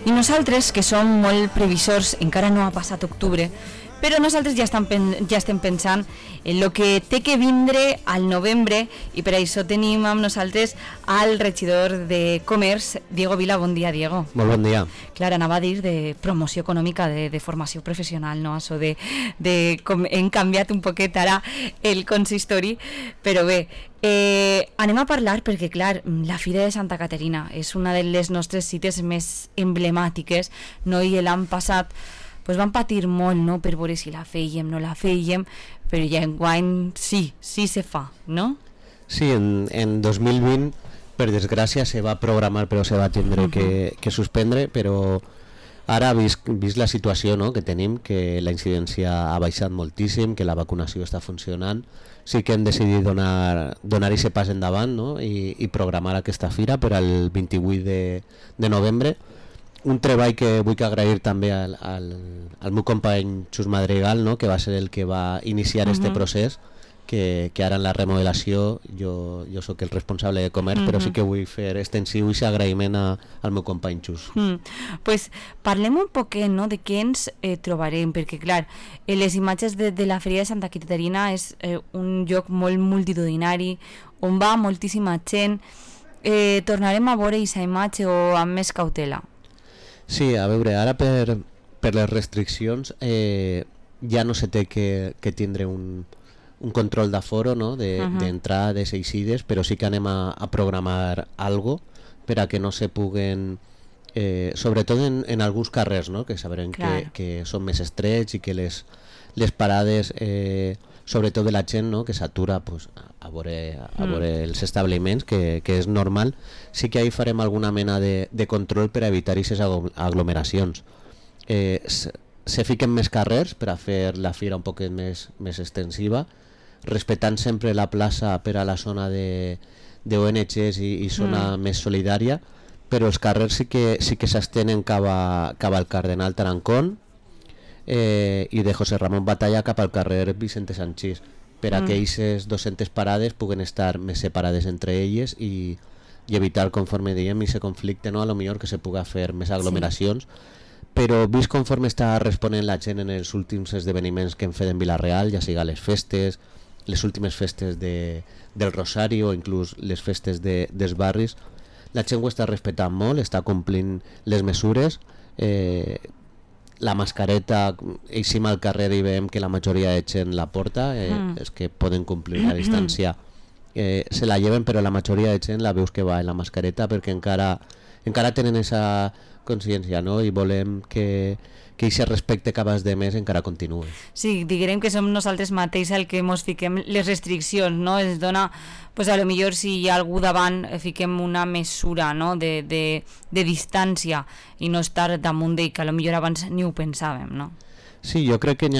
I nosaltres, que som molt previsors, encara no ha passat octubre, però nosaltres ja estem pensant en el que té que vindre al novembre, i per això tenim amb nosaltres al regidor de Comerç, Diego Vila. Bon dia, Diego. Molt bon dia. Clar, anava a dir de promoció econòmica, de formació professional, no? Això com hem canviat un poquet ara el consistori, però bé, anem a parlar perquè, clar, la Fira de Santa Caterina és una de les nostres cites més emblemàtiques, no? I l'any passat pues van patir molt, no?, per veure si la fèiem, no la fèiem, però ja enguany sí se fa, no? Sí, en 2020, per desgràcia, se va programar però se va tindre que suspendre, però ara, vist la situació, no?, que tenim, que la incidència ha baixat moltíssim, que la vacunació està funcionant, sí que hem decidit donar aquest pas endavant, no?, i programar aquesta fira per al 28 de novembre. Un treball que vull agrair també al meu company Xus Madrigal, no?, que va ser el que va iniciar este procés, que ara en la remodelació jo sóc el responsable de comerç, però sí que vull fer extensiu aquest agraïment al meu company Xus. Pues parlem un poquet, no?, de què ens trobarem, perquè clar, les imatges de la Fira de Santa Caterina és un lloc molt multitudinari, on va moltíssima gent. Tornarem a veure aquesta imatge o amb més cautela? Sí, a veure, ara per les restriccions ja no se té que tindre un control d'aforo, no?, d'entrades i eixides, però sí que anem a programar algo per a que no se puguen, sobretot en alguns carrers, no?, que sabrem que són més estrets i que les parades, sobretot de la gent, no?, que s'atura pues, a veure els establiments, que és normal. Sí que ahí farem alguna mena de control per a evitar aquestes aglomeracions. Se fiquen més carrers per a fer la fira un poc més extensiva, respectant sempre la plaça per a la zona d'ONGs i zona més solidària, però els carrers sí que s'estenen cap al Cardenal Tarancón i de José Ramón Batalla cap al carrer Vicente Sanchís, per a que aquestes 200 parades puguen estar més separades entre elles i evitar, conforme dèiem, aquest conflicte, no?, a lo millor que se puga fer més aglomeracions. Però vist conforme està responent la gent en els últims esdeveniments que hem fet en Vila-real, ja siga les festes, les últimes festes del Rosari o inclús les festes dels barris, la gent ho està respectant molt, està complint les mesures. La mascareta, eixim al carrer i veiem que la majoria de gent la porta, és que poden complir la distància, se la lleven, però la majoria de gent la veus que va en la mascareta perquè encara tenen esa consciència, no?, i volem que aquest respecte cap als demés encara continuï. Sí, diguem que som nosaltres mateix el que ens fiquem les restriccions, no? Es dona, pues a lo millor si hi ha algú davant fiquem una mesura, no?, de distància i no estar damunt d'ell, que a lo millor abans ni ho pensàvem, no? Sí, jo crec que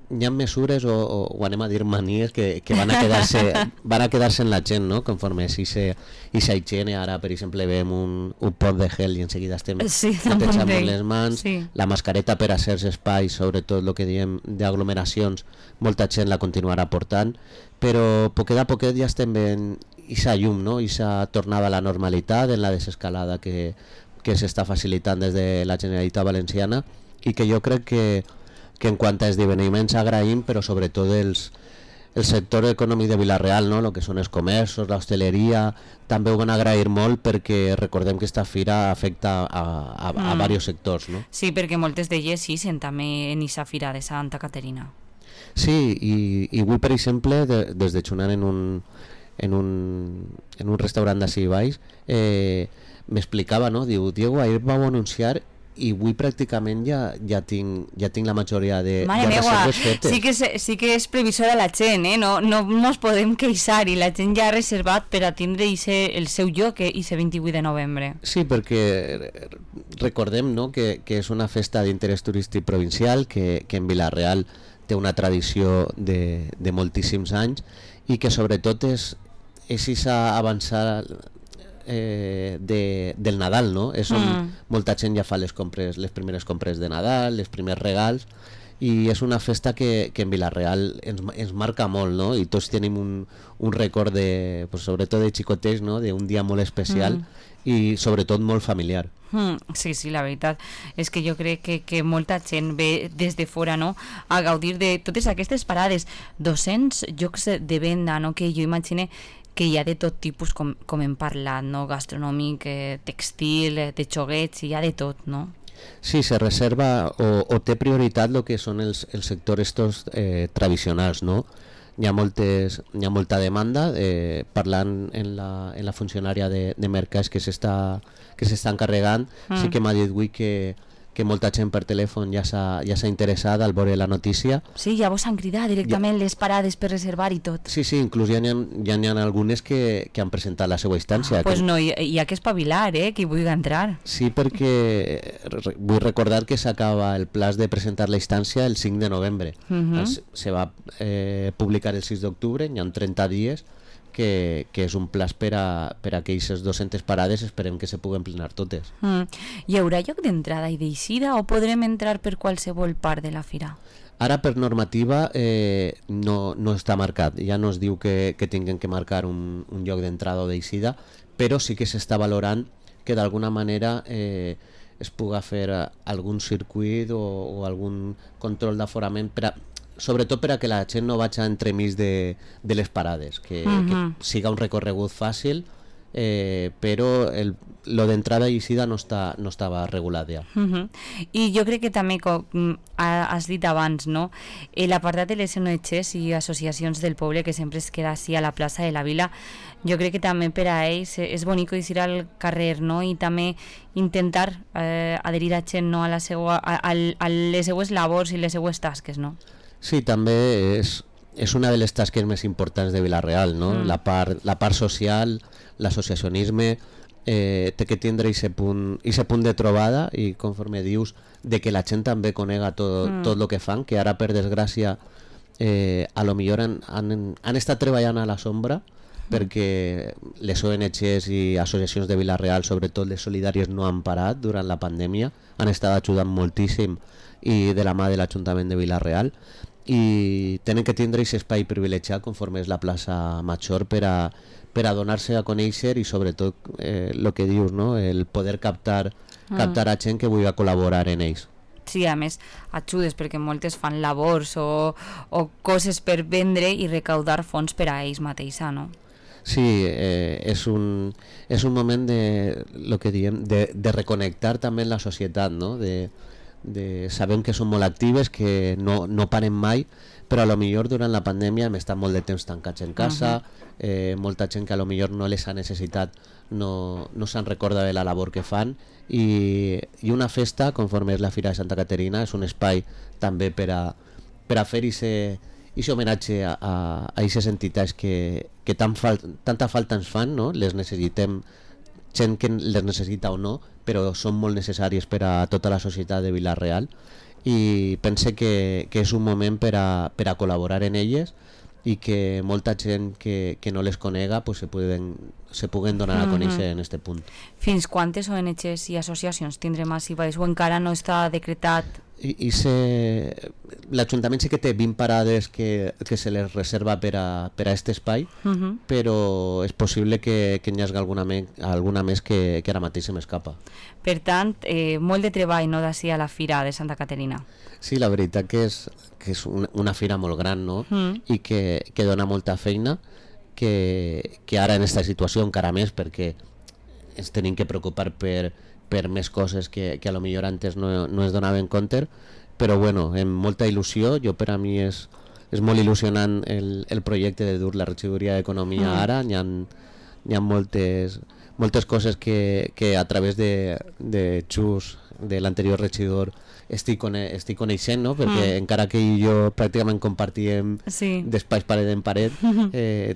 hi ha mesures o anem a dir manies que van a quedar-se en la gent, no?, conforme si higiene. Ara, per exemple, veiem un pot de gel i en seguida estem netejant les mans, la mascareta per a certs espais, sobretot el que diem d'aglomeracions, molta gent la continuarà portant, però poquet a poquet ja estem veient aquesta llum, no?, aquesta tornada a la normalitat en la desescalada que s'està facilitant des de la Generalitat Valenciana, i que jo crec que en quant a esdeveniments agraïm, però sobretot el sector econòmic de Vila-real, no?, el que són els comerços, l'hostaleria, també ho van agrair molt perquè recordem que aquesta fira afecta a diversos sectors, no? Sí, perquè moltes d'elles sí sent també en aquesta fira de Santa Caterina. Sí, i avui, per exemple, des de xunar en un restaurant d'ací baix, m'explicava, no?, diu, Diego, ahir vau anunciar i avui pràcticament ja tinc la majoria de reserves fetes. Sí que és previsora la gent, no ens podem queixar, i la gent ja ha reservat per a tindre el seu lloc i 28 de novembre. Sí, perquè recordem, no?, que és una festa d'interès turístic provincial, que en Vila-real té una tradició de moltíssims anys i que sobretot és aquesta avançada del Nadal, no? És on molta gent ja fa les primeres compres de Nadal, els primers regals, i és una festa que en Vila-real ens marca molt, no? I tots tenim un record de, pues, sobretot de xicotets, no? D'un dia molt especial i sobretot molt familiar. Sí, la veritat és que jo crec que molta gent ve des de fora, no?, a gaudir de totes aquestes parades. 200 llocs de venda, no?, que jo imagine que hi ha de tot tipus, com hem parlat, no?, gastronòmic, textil, de xoguets, hi ha de tot, no? Sí, se reserva o té prioritat el que són els sectors estos tradicionals, no? Hi ha molta demanda, parlant en la funcionària de mercats que s'està encarregant, sí que m'ha dit avui que molta gent per telèfon ja s'ha interessat al veure la notícia. Sí, ja vos han cridat directament les parades per reservar i tot. Sí, inclús ja n'hi ha algunes que han presentat la seva instància. Pues no, hi ha que espavilar, qui vulgui entrar. Sí, perquè vull recordar que s'acaba el plaç de presentar la instància el 5 de novembre. Se va publicar el 6 d'octubre, hi ha 30 dies, que és un plaç per a aquelles 200 parades, esperem que se puguen plenar totes. Hi haurà lloc d'entrada i d'eixida o podrem entrar per qualsevol part de la fira? Ara per normativa no està marcat, ja no es diu que tinguin que marcar un lloc d'entrada o d'eixida, però sí que s'està valorant que d'alguna manera es puga fer algun circuit o algun control d'aforament sobretot per a que la gent no vagi entremig de les parades, que siga un recorregut fàcil, però lo d'entrada i eixida no estava regulat ja. I jo crec que també, com has dit abans, no? L'apartat de les ONGs i associacions del poble, que sempre es queda així a la plaça de la Vila, jo crec que també per a ells és bonic eixir al carrer, no? I també intentar adherir a gent, no? a les seues labors i les seues tasques, no? Sí, també és una de les tasques més importants de Vila-real, no? La part social, l'associacionisme, té que tindre aquest punt de trobada i, conforme dius, de que la gent també conega tot el que fan, que ara, per desgràcia, a lo millor han estat treballant a la sombra perquè les ONGs i associacions de Vila-real, sobretot les solidàries, no han parat durant la pandèmia, han estat ajudant moltíssim i de la mà de l'Ajuntament de Vila-real, i tenen que tindre aquest espai privilegiat conforme és la plaça Major per a donar-se a conèixer i sobretot el que dius, no? El poder captar a gent que vulgui col·laborar en ells. Sí, a més ajudes perquè moltes fan labors o coses per vendre i recaudar fons per a ells mateixa, no? Sí, és un moment lo que diem, de reconnectar també en la societat, no? Sabem que són molt actives, que no paren mai, però a lo millor durant la pandèmia hem estat molt de temps tancats en casa, molta gent que a lo millor no les ha necessitat no se'n recorda de la labor que fan, i una festa, conforme és la Fira de Santa Caterina, és un espai també per a fer aquest homenatge a aquestes entitats que tanta falta ens fan, no? Les necessitem, gent que les necessita o no, però són molt necessàries per a tota la societat de Vila-real, i pense que és un moment per a col·laborar en elles i que molta gent que no les conega pues se puguen donar a conèixer en este punt. Fins quantes ONGs i associacions tindrem així baix o encara no està decretat? L'Ajuntament sí que té 20 parades que se les reserva per a aquest espai, però és possible que n'hi hagi alguna més que ara mateix se m'escapa. Per tant, molt de treball, no, d'ací a la Fira de Santa Caterina. Sí, la veritat que és una fira molt gran, no? I que dona molta feina, que ara en aquesta situació encara més, perquè ens tenim que preocupar per més coses que a lo millor antes no es donaven compte, però bueno, amb molta il·lusió. Per a mi és molt il·lusionant el projecte de dur la regidoria d'Economia ara. Hi ha moltes coses que a través de Xus, de l'anterior regidor, estic coneixent, no? Perquè encara que jo pràcticament compartíem d'espais paret en paret,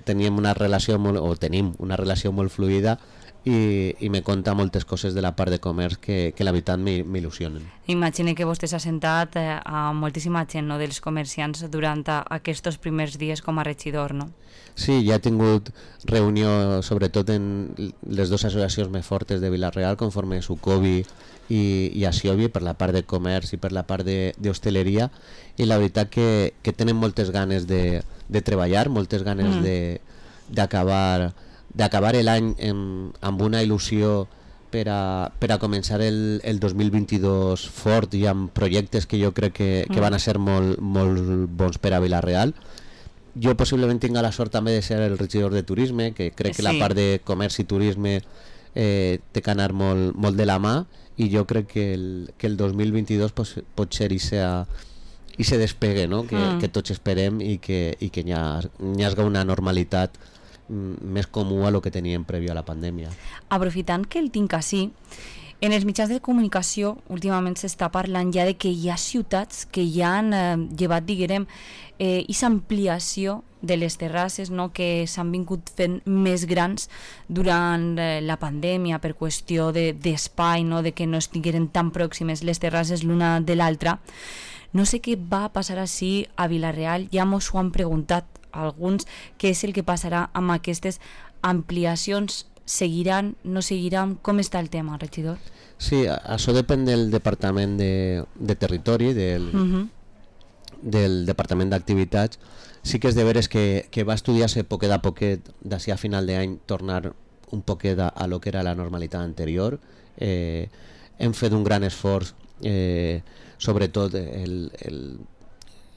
tenim una relació molt fluida, i me conta moltes coses de la part de comerç que la veritat m'il·lusionen. Imagine que vostè s'ha sentat a moltíssima gent, no, dels comerciants durant aquests primers dies com a regidor, no? Sí, ja he tingut reunió sobretot en les dues associacions més fortes de Vila-real, conforme Sucovi i Asiovi, per la part de comerç i per la part d'hostaleria, i la veritat que tenen moltes ganes de treballar, moltes ganes d'acabar l'any amb una il·lusió per a començar el 2022 fort i amb projectes que jo crec que van a ser molt bons per a Vila-real. Jo possiblement tinc la sort també de ser el regidor de turisme, que crec que la part de comerç i turisme té que anar molt de la mà, i jo crec que el 2022 pot ser i se despegue, no? Que tots esperem i que hi hagi una normalitat més comú a lo que teníem previ a la pandèmia. Aprofitant que el tinc així, en els mitjans de comunicació últimament s'està parlant ja de que hi ha ciutats que ja han llevat, diguem, aquesta ampliació de les terrasses, no? Que s'han vingut fent més grans durant la pandèmia per qüestió d'espai, no? De que no estigueren tan pròximes les terrasses l'una de l'altra. No sé què va passar així a Vila-real, ja mos ho han preguntat alguns, què és el que passarà amb aquestes ampliacions, seguiran, no seguiran, com està el tema, regidor? Sí, això depèn del Departament de Territori, del Departament d'Activitats. Sí que és de veres que va estudiar-se poquet a poquet, d'ací a final d'any, tornar un poquet a lo que era la normalitat anterior. Hem fet un gran esforç, sobretot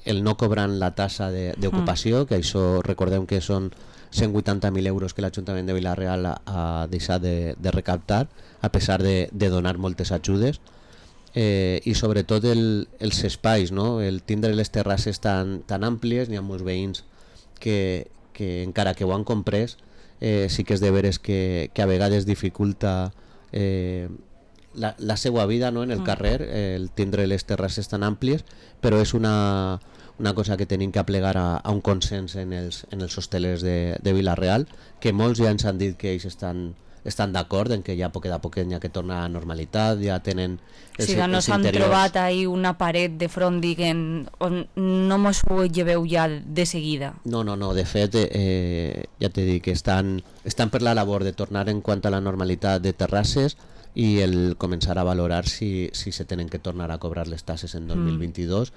el no cobrant la tassa d'ocupació, que això recordem que són 180.000 euros que l'Ajuntament de Vila-real ha deixat de recaptar, a pesar de donar moltes ajudes, i sobretot els espais, no? El tindre les terrasses tan àmplies. N'hi ha molts veïns que encara que ho han comprès, sí que és de veres que a vegades dificulta la seva vida, no? En el carrer, el tindre les terrasses tan àmplies, però és una cosa que tenim que aplegar a un consens en els hostelers de Vila-real, que molts ja ens han dit que ells estan d'acord en que ja poquet a poquet hi ha que tornar a la normalitat, ja tenen els interiors. No s'han trobat ahí una paret de front, diguem, on no mos ho lleveu ja de seguida. No, de fet, ja t'he dit que estan per la labor de tornar en quant a la normalitat de terrasses i el començar a valorar si se tenen que tornar a cobrar les tasses en 2022.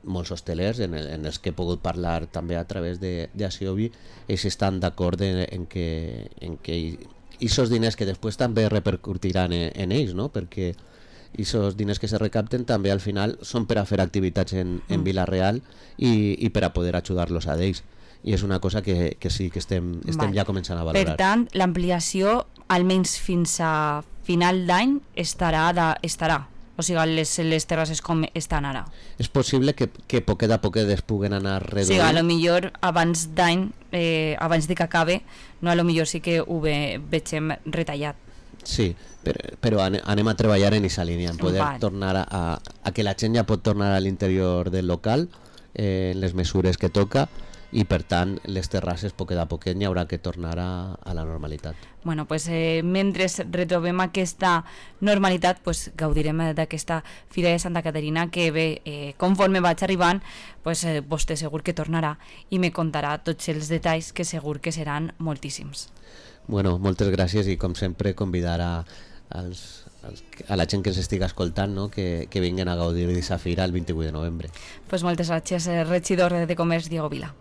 Molts hostelers en els que he pogut parlar també a través d'Asiovi, ells estan d'acord en que aquests diners que després també repercutiran en ells, no? Perquè aquests diners que se recapten també al final són per a fer activitats en Vila-real i per a poder ajudar-los a ells, i és una cosa que sí que estem ja començant a valorar. Per tant, l'ampliació almenys fins a final d'any estarà. O sigui, les terrasses com estan ara. És possible que poquet a poquet es puguen anar reduint. Sí, a lo millor abans d'any, abans de que acabe, no, a lo millor sí que ho vegem retallat. Sí, però anem a treballar en aquesta línia, en poder tornar a que la gent ja pot tornar a l'interior del local, en les mesures que toca, i per tant les terrasses poquet a poquet n'hi haurà que tornar a la normalitat. Bueno, pues mentre retrobem aquesta normalitat, pues gaudirem d'aquesta Fira de Santa Caterina, que bé, conforme vaig arribant, pues vostè segur que tornarà i me contarà tots els detalls, que segur que seran moltíssims. Bueno, moltes gràcies, i com sempre convidar a la gent que ens estigui escoltant, no? que vinguin a gaudir d'aquesta fira el 28 de novembre. Pues moltes gràcies, regidor de Comerç, Diego Vila.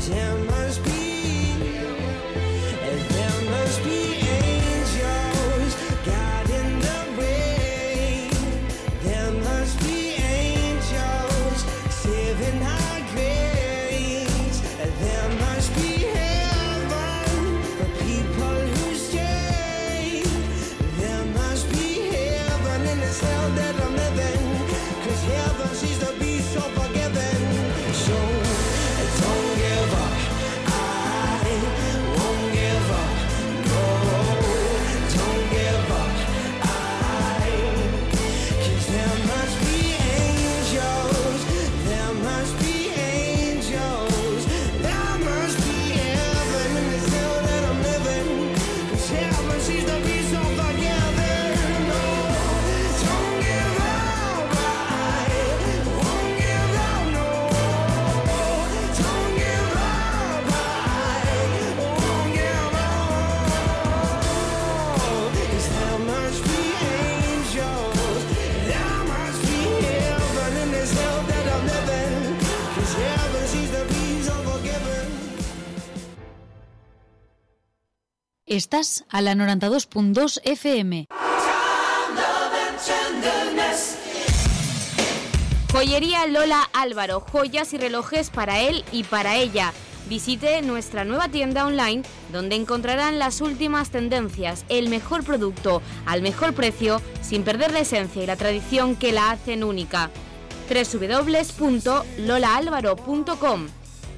There must be angels guiding the way. There must be angels saving our grace. There must be heaven for people who stay. There must be heaven in this hell that I'm living, 'cause heaven seems to be so forgiving. So don't give up. Estás a la 92.2 FM. Joyería Lola Álvaro, joyas y relojes para él y para ella. Visite nuestra nueva tienda online donde encontrarán las últimas tendencias, el mejor producto al mejor precio sin perder la esencia y la tradición que la hacen única. www.lolaalvaro.com.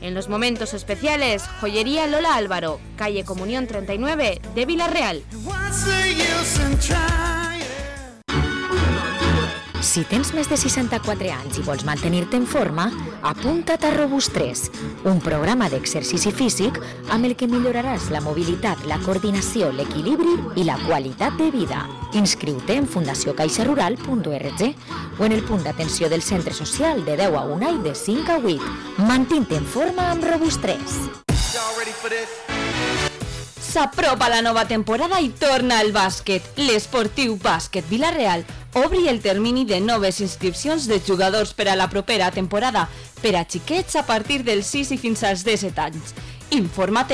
En los momentos especiales, Joyería Lola Álvaro, calle Comunión 39 de Vila-real. Si tens més de 64 anys i vols mantenir-te en forma, apunta't a Robust3, un programa d'exercici físic amb el que milloraràs la mobilitat, la coordinació, l'equilibri i la qualitat de vida. Inscriu-te en fundaciocaixarural.org o en el punt d'atenció del centre social de 10 a 1 i de 5 a 8. Mantint-te en forma amb Robust3. S'apropa la nova temporada i torna el bàsquet. L'Esportiu Bàsquet Vila-real obri el termini de noves inscripcions de jugadors per a la propera temporada per a xiquets a partir dels 6 i fins als 17 anys. Informa't en